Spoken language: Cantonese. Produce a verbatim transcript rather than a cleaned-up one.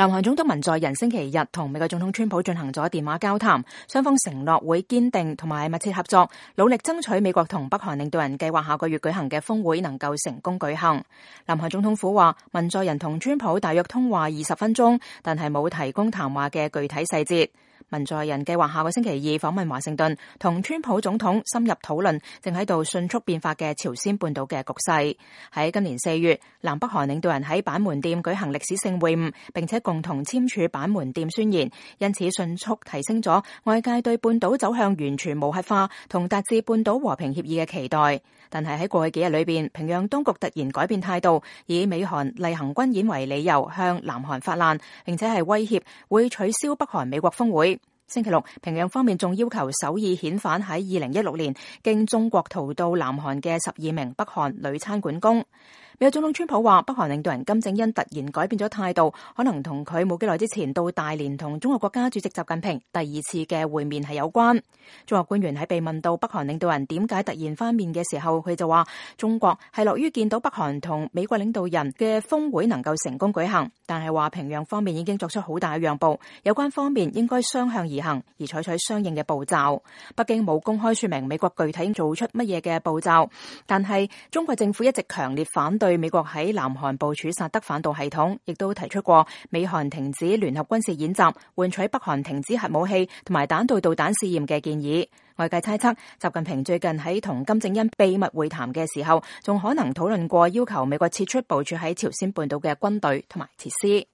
南韓總統文在寅星期日同美國總統川普進行咗電話交談，雙方承諾會堅定同埋密切合作，努力爭取美國同北韓領導人計劃下個月舉行嘅峰會能夠成功舉行。南韓總統府話，文在寅同川普大約通話二十分鐘，但係冇提供談話嘅具體細節。文在寅計劃下個星期二訪問華盛頓，同川普總統深入討論正喺度迅速變化嘅朝鮮半島嘅局勢。喺今年四月，南北韓領導人喺板門店舉行歷史性會晤，並且共同簽署板門店宣言，因此迅速提升咗外界對半島走向完全無核化同達至半島和平協議嘅期待。但係喺過去幾日裏邊，平壤當局突然改變態度，以美韓例行軍演為理由向南韓發難，並且係威脅會取消北韓美國峰會。星期六，平壤方面仲要求首爾遣返喺二零一六年經中國逃到南韓嘅十二名北韓女餐館工。美國總統川普話，北韓領導人金正恩突然改變咗態度，可能同佢冇幾耐之前到大連同中國國家主席習近平第二次嘅會面係有關。中國官員喺被問到北韓領導人點解突然翻面嘅時候，佢就話中國係樂於見到北韓同美國領導人嘅峰會能夠成功舉行，但係話平壤方面已經作出好大嘅讓步，有關方面應該雙向而行，而採取相應嘅步驟。北京冇公開說明美國具體做出乜嘢嘅步驟，但係中國政府一直強烈反對美國喺南韓部署薩德反導系統，亦都提出過美韓停止聯合軍事演習，換取北韓停止核武器同埋彈道導彈試驗嘅建議。外界猜測，習近平最近喺同金正恩秘密會談嘅時候，仲可能討論過要求美國撤出部署喺朝鮮半島嘅軍隊同埋設施。